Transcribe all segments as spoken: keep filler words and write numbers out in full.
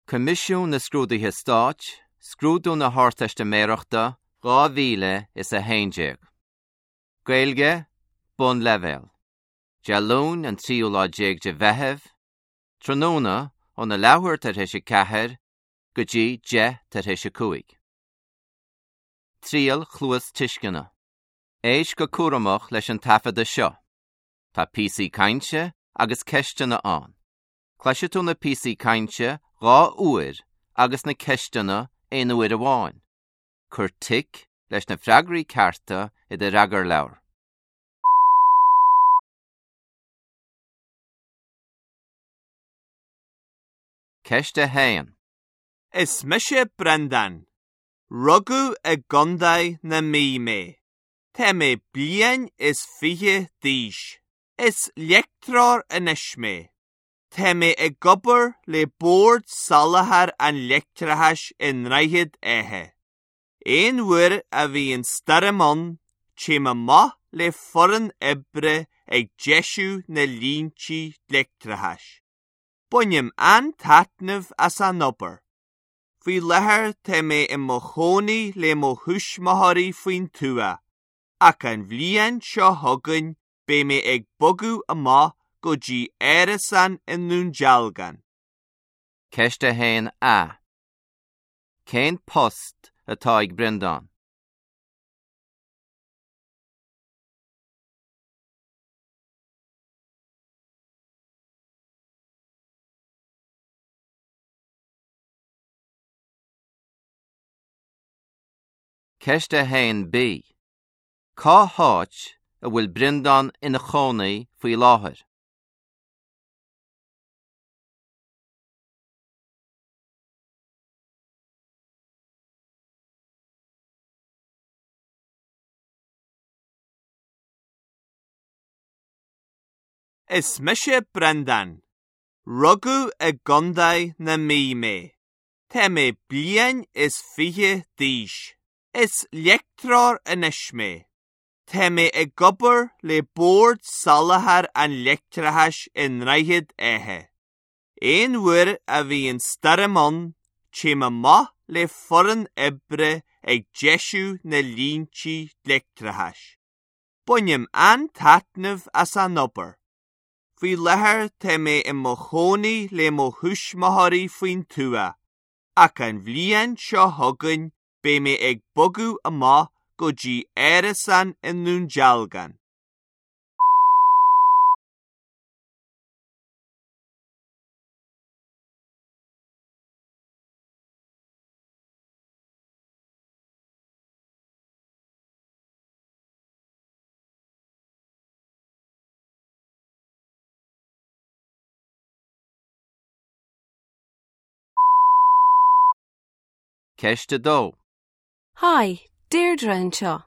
Coimisiún na Scrúduithe Stáit, Scrúdú na hArdteistiméireachta dhá mhíle is a haon déag. Gaeilge, Bunleibhéal. Dé Luain an tríú lá déag de Mheitheamh, tráthnóna óna leathuair tar éis a ceathair go dtí deich tar éis a cúig. Triail chluastuisceana. Éist go cúramach leis an taifeadadh seo. Tá píosaí cainte agus ceisteanna ann. Cloisfidh tú na píosaí cainte dhá uair agus na ceisteanna aon uair amháin. Cuir tic leis na freagraí cearta i do fhreagarleabhar. Ceist a haon. Is mise Breandán. Rugadh i gContae na Mí mé. Tá mé bliain is fiche d'aois. Is leictreoir anois mé. Tá mé ag obair le Bord Soláthair an Leictreachais i nDroichead Átha. Aon uair a bhíonn stoirm ann, téim amach le foireann oibre ag deisiú na línte leictreachais. Bainim an-taitneamh as an obair. Faoi láthair tá mé i mo chónaí le mo thuismitheoirí faoin tuath, ach an bhliain seo chugainn beidh mé ag bogadh amach go dtí árasán i nDún Dealgan. Ceist a haon A. Cén post atá ag Breandán? Ceist a haon B. Cá háit a bhfuil Breandán ina chónaí faoi láthair? Is mise Breandán. Rugadh i gContae na Mí mé. Tá mé bliain is fiche d'aois. Is leictreoir anois mé. Tá mé ag obair le Bord Soláthair an Leictreachais i nDroichead Átha. Aon uair a bhíonn stoirm ann, téim amach le foireann oibre ag deisiú na línte leictreachais. Bainim an-taitneamh as an obair. Faoi láthair tá mé i mo chónaí le mo thuismitheoirí faoin tuath, ach an bhliain seo chugainn beidh mé ag bogadh amach go dtí árasán i nDún Dealgan. Ceist a dó. Hi, Deirdre anseo.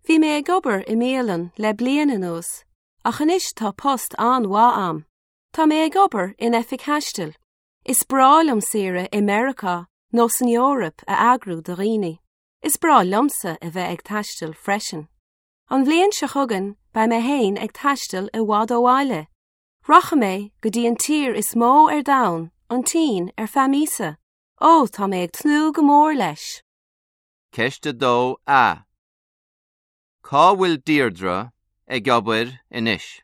Bhí mé ag obair i mbialann le bliain anuas, ach anois tá post an-mhaith agam. Tá mé ag obair in oifig taistil. Is breá liom saoire i Meiriceá nó san Eoraip a eagrú do dhaoine. Is breá liomsa a bheith ag taisteal freisin. An bhliain seo chugainn beidh mé féin ag taisteal i bhfad ó bhaile. Rachaidh mé go dtí an tír is mó ar domhan, an tSín ar feadh míosa. Ó tá mé ag tnúth go mór leis. Ceist a dó A. Cá bhfuil Deirdre ag obair anois?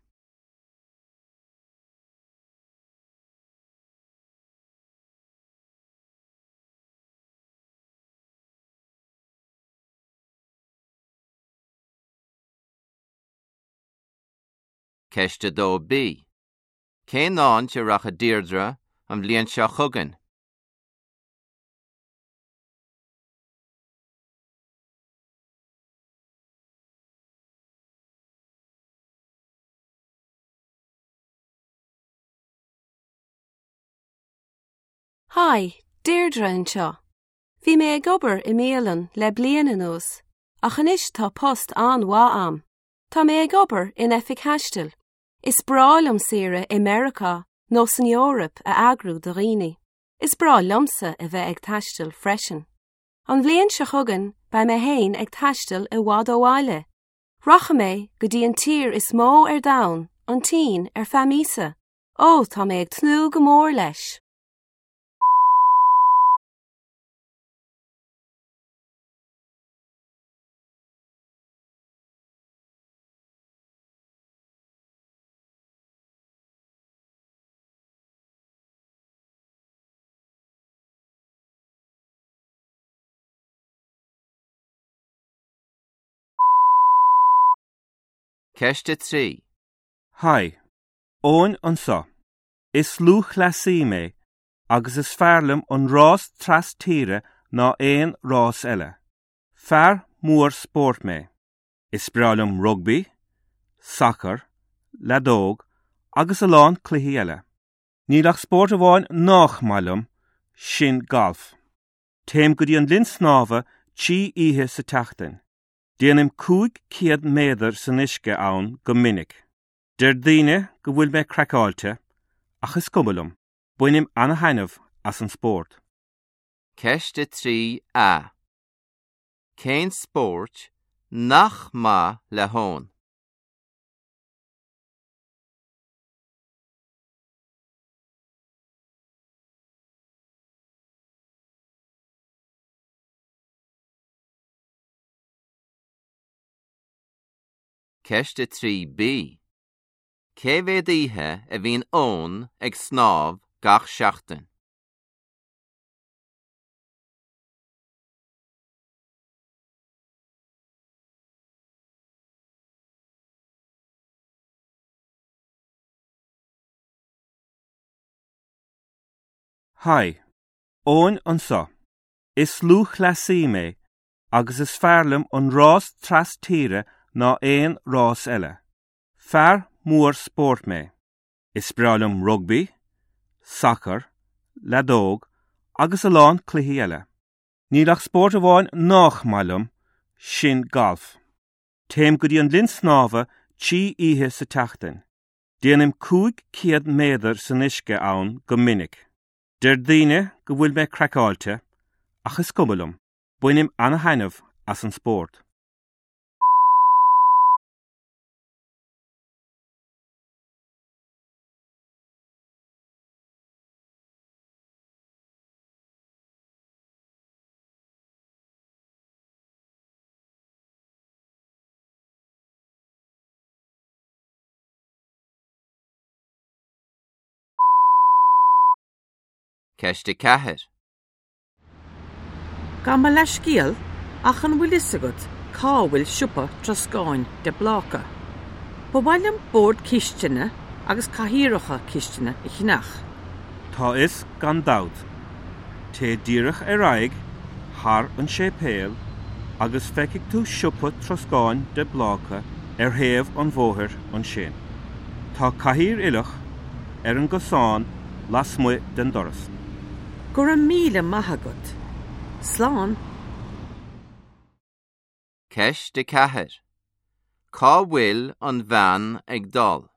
Ceist a dó B. Cén áit a rachaidh Deirdre an bhliain seo chugainn? Hi, Deirdre anseo. Bhí mé ag obair i mbialann le bliain anuas, ach anois tá post an-mhaith agam. Tá mé ag obair in oifig taistil. Is breá liom saoire i Meiriceá nó san Eoraip a eagrú do dhaoine. Is breá liomsa a bheith ag taisteal freisin. An bhliain seo chugainn beidh mé féin ag taisteal i bhfad ó bhaile. Rachaidh mé go dtí an tír is mó ar domhan, an tSín ar feadh míosa. Ó tá mé ag tnúth go mór leis. Ceist a trí. Haigh, Eoin anseo. Is lúthchleasaí mé agus is fearr liom an rás trastíre ná aon rás eile. Fear mór spóirt mé. Is breá liom rugbaí, sacar, leadóg agus a lán cluichí eile. Níl ach spórt amháin nach maith liom, sin galf. Téim go dtí an linn snámha trí oíche sa tseachtain. Déanaim cúig chéad méadar san uisce ann go minic. Deir daoine go bhfuil mé craiceáilte, ach is cuma liom, bainim an-taitneamh as an spórt. Ceist a trí A. Cén spórt nach maith le hEoin? Ceist a trí B. Cé mhéad oíche a bhíonn Eoin ag snámh gach seachtain? Haigh, Eoin anseo. Is lúthchleasaí mé agus is fearr liom an rás trastíre ná aon rás eile. Fear mór spóirt mé. Is breá liom rugbaí, sacar, leadóg agus a lán cluichí eile. Níl ach spórt amháin nach maith liom, sin galf. Téim go dtí an linn snámha trí oíche sa tseachtain. Déanaim cúig chéad méadar san uisce ann go minic. Deir daoine go bhfuil mé craiceáilte, ach is cuma liom, bainim an-taitneamh as an spórt. Ceist a ceathair. Gabh mo leithscéal ach an bhfuil fhios agat cá bhfuil siopa troscáin de Bláca. Ba mhaith liom bord cistine agus cathaoireacha cistine a cheannach. Tá a fhios gan dabht. Téigh díreach ar aghaidh, thar an séipéal, agus feicfidh tú siopa troscáin de Bláca ar thaobh an bhóthair ansin. Tá cathaoir uilleach ar an gcosán lasmuigh den doras. Go raibh míle maith agat. Slán. Ceist a ceathair. Cá bhfuil an bhean ag dul?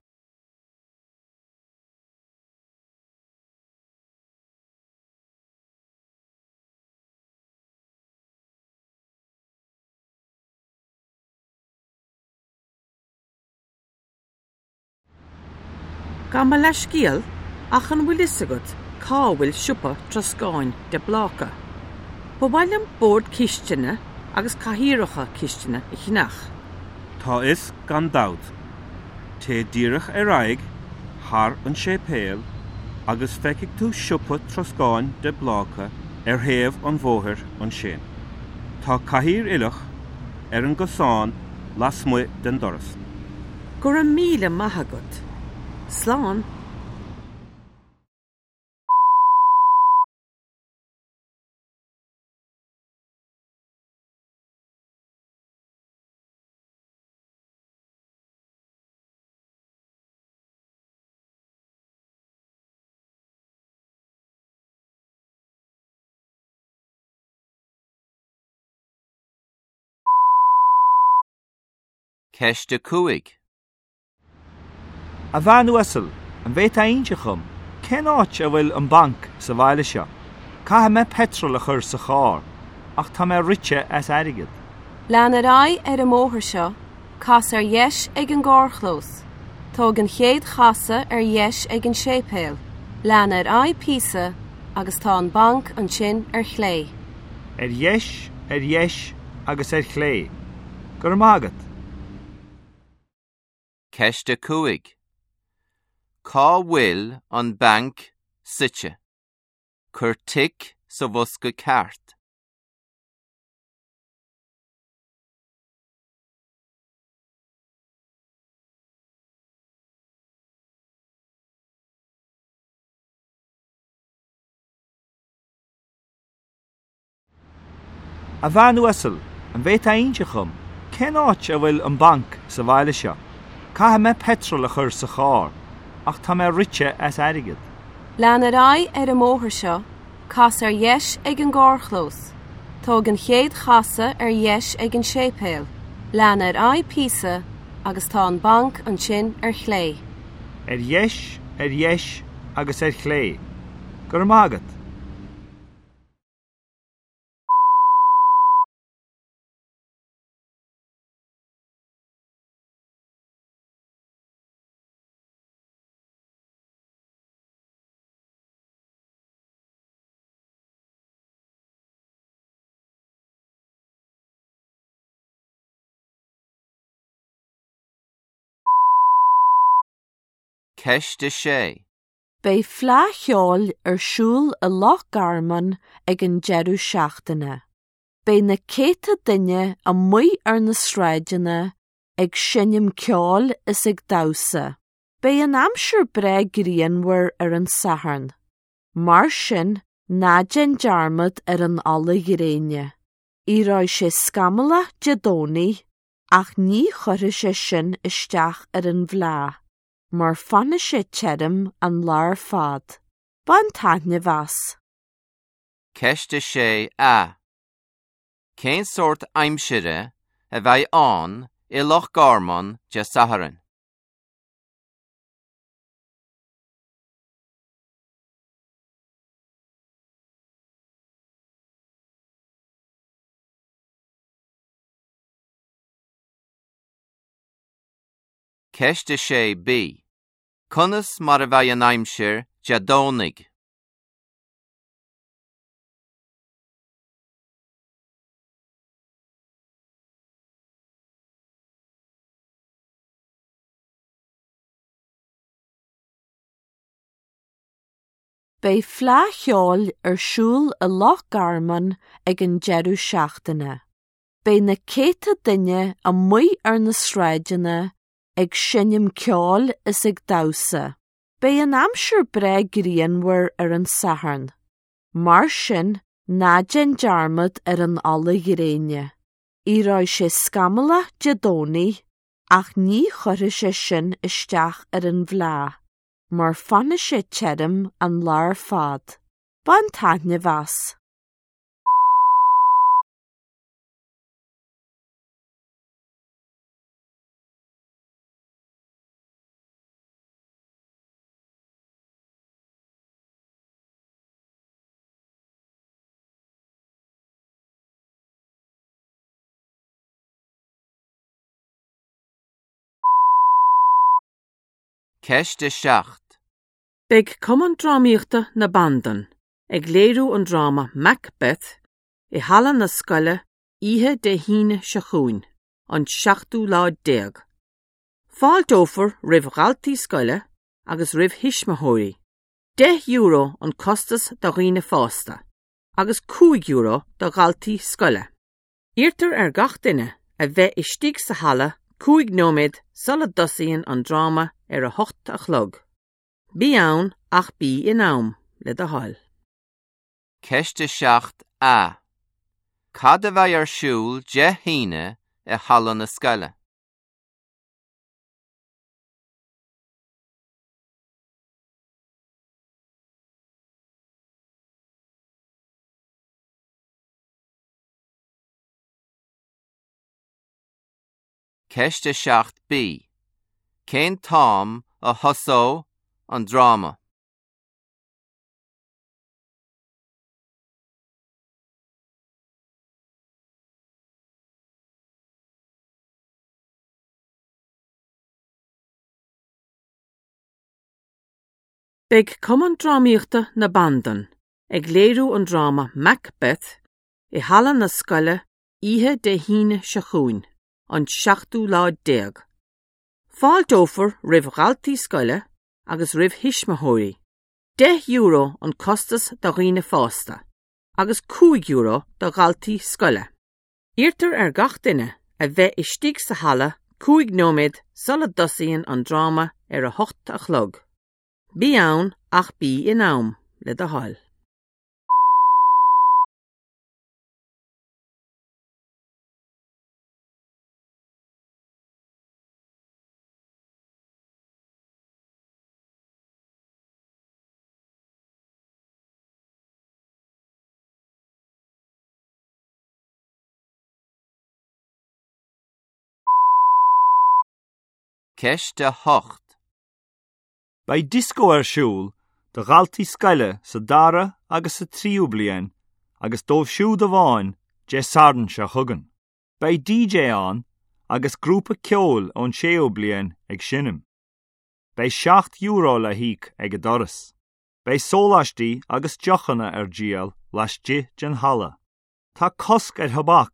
Gabh mo leithscéal ach an bhfuil fhios agat cá bhfuil siopa troscáin de Bláca. Ba mhaith liom bord cistine agus cathaoireacha cistine a cheannach. Tá a fhios gan dabht. Téigh díreach ar aghaidh, thar an séipéal, agus feicfidh tú siopa troscáin de Bláca ar thaobh an bhóthair ansin. Tá cathaoir uilleach ar an gcosán lasmuigh den doras. Go raibh míle maith agat. Slán. Ceist a cúig. A bhean uasal, an bhféadfá a inse dhom, cén áit a bhfuil an banc sa bhaile seo. Caithfidh mé petrol a chur sa charr, ach tá mé rite as airgead. Lean ar aghaidh ar an mbóthar seo, cas ar dheis ag an gcarrchlós. Tóg an chéad chasadh ar dheis ag an séipéal. Lean ar aghaidh píosa agus tá an banc ansin ar chlé. Ar dheis, ar dheis agus ar chlé. Go raibh maith agat. Ceist a cúig. Cá bhfuil an banc suite? Cuir tic sa bhosca ceart. A bhean uasal, an bhféadfá inse dhom, cén áit a bhfuil an banc sa bhaile seo. Caithfidh mé petrol a chur sa charr, ach tá mé rite as airgead. Lean ar aghaidh ar an mbóthar seo, cas ar dheis ag an gcarrchlós. Tóg an chéad chasadh ar dheis ag an séipéal. Lean ar aghaidh píosa agus tá an banc ansin ar chlé. Ar dheis, ar dheis agus ar chlé. Go raibh maith agat. Ceist a sé. Beidh Fleadh Cheoil ar siúl i Loch Garman ag an deireadh seachtaine. Beidh na céadta duine amuigh ar na sráideanna ag seinm ceoil is ag damhsa. Beidh an aimsir breá grianmhar ar an Satharn. Mar sin ná déan dearmad ar an ola ghréine. Éireoidh sé scamallach Dé Domhnaigh ach ní chuirfidh sé sin isteach ar an bhfleá, mar fanfaidh sé tirim an lá ar fad. Bain taitneamh as. Ceist a sé A. Cén sórt aimsire a bheidh ann i Loch Garman Dé Sathairn? Ceist a sé B. Conas mar a bheidh an aimsir Dé Domhnaigh? Beidh Fleadh Cheoil ar siúl i Loch Garman ag an deireadh seachtaine. Beidh na céadta duine amuigh ar na sráideanna ag seinm ceoil is ag damhsa. Beidh an aimsir breá grianmhar ar an Satharn. Mar sin ná déan dearmad ar an ola ghréine. Éireoidh sé scamallach Dé Domhnaigh ach ní chuirfidh sé sin isteach ar an bhfleá, mar fanfaidh sé tirim an lá ar fad. Bain taitneamh as. Ceist a seacht. Beidh Cumann Drámaíochta na Bandan ag léiriú an dráma Macbeth i halla na scoile oíche Dé hAoine seo chugainn, an seachtú lá déag. Fáilteofar roimh dhaltaí scoile agus roimh thuismitheoirí. Deich euro an costas do dhaoine fásta, agus cúig euro do dhaltaí scoile. Iarrtar ar gach duine a bheith istigh sa halla cúig nóiméad sula dtosaíonn an dráma ar a hocht a chlog. Bí ann ach bí in am le do thoil. Ceist a seacht A. Cad a bheidh ar siúl Dé hAoine i halla na scoile? Ceist a seacht B. Cén t-am a thosóidh an dráma? Beidh Cumann Drámaíochta na Bandan ag léiriú an dráma Macbeth i halla na scoile oíche Dé hAoine seo chugainn, an seachtú lá déag. Fáilteofar roimh dhaltaí scoile agus roimh thuismitheoirí. Deich euro an costas do dhaoine fásta, agus cúig euro do dhaltaí scoile. Iarrtar ar gach duine a bheith istigh sa halla cúig nóiméad sula dtosaíonn an dráma ar a hocht a chlog. Bí ann ach bí in am le do thoil. Ceist a hocht. Beidh dioscó ar siúl do dhaltaí scoile sa dara agus sa tríú bliain agus dóibh siúd amháin Dé Sathairn seo chugainn. Beidh DJ ann agus grúpa ceoil ón séú bliain ag seinm. Beidh seacht euro le híoc ag an doras. Beidh sóláistí agus deochanna ar díol laistigh den halla. Tá cosc ar thobac